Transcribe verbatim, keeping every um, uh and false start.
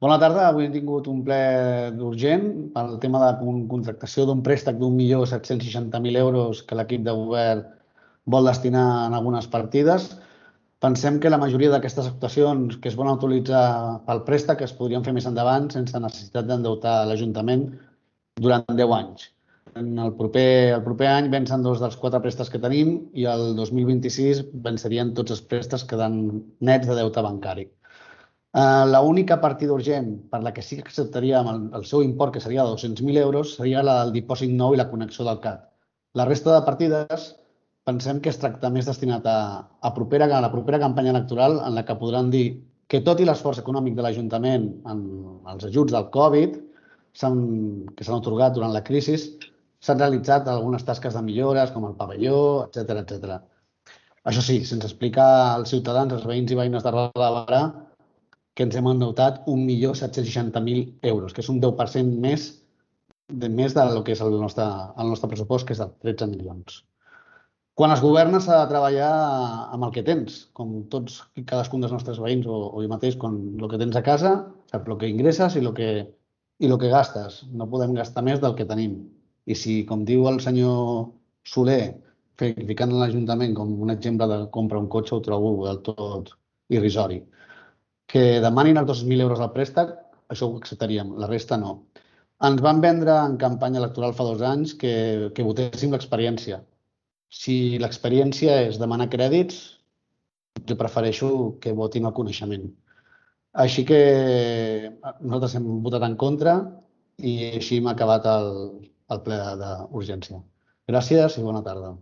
Bona tarda. Avui hem tingut un ple urgent pel tema de con- contractació d'un préstec d'un milió set-cents seixanta mil euros que l'equip de govern vol destinar en algunes partides. Pensem que la majoria d'aquestes actuacions que es volen utilitzar pel préstec es podrien fer més endavant sense necessitat d'endeutar l'Ajuntament durant deu anys. En el proper, el proper any vencen dos dels quatre préstecs que tenim i el dos mil vint-i-sis vencerien tots els préstecs quedant nets de deute bancari. Uh, L'única partida urgent per la que sí que acceptaríem el, el seu import, que seria de dos-cents mil euros, seria la del dipòsit nou i la connexió del C A T. La resta de partides pensem que es tracta més destinat a, a, propera, a la propera campanya electoral en la que podran dir que tot i l'esforç econòmic de l'Ajuntament en els ajuts del Covid s'han, que s'han otorgat durant la crisi, s'han realitzat algunes tasques de millores com el pavelló, etcètera, etcètera. Això sí, sense explicar als ciutadans, als veïns i veïnes de Roda de Barà, que ens hem endeutat un milió set-cents seixanta mil euros, que és un deu per cent més de més del que és el nostre, el nostre pressupost, que és de tretze milions. Quan es governa s'ha de treballar amb el que tens, com tots i cadascun dels nostres veïns o, o jo mateix, quan el que tens a casa, saps el que ingresses i el que, i el que gastes. No podem gastar més del que tenim. I si, com diu el senyor Soler, ficant l'Ajuntament com un exemple de comprar un cotxe, ho trobo del tot irrisori. Que demanin els dos mil euros al préstec, això ho acceptaríem, la resta no. Ens van vendre en campanya electoral fa dos anys que, que votéssim l'experiència. Si l'experiència és demanar crèdits, jo prefereixo que votin el coneixement. Així que nosaltres hem votat en contra i així hem acabat el, el ple d'urgència. Gràcies i bona tarda.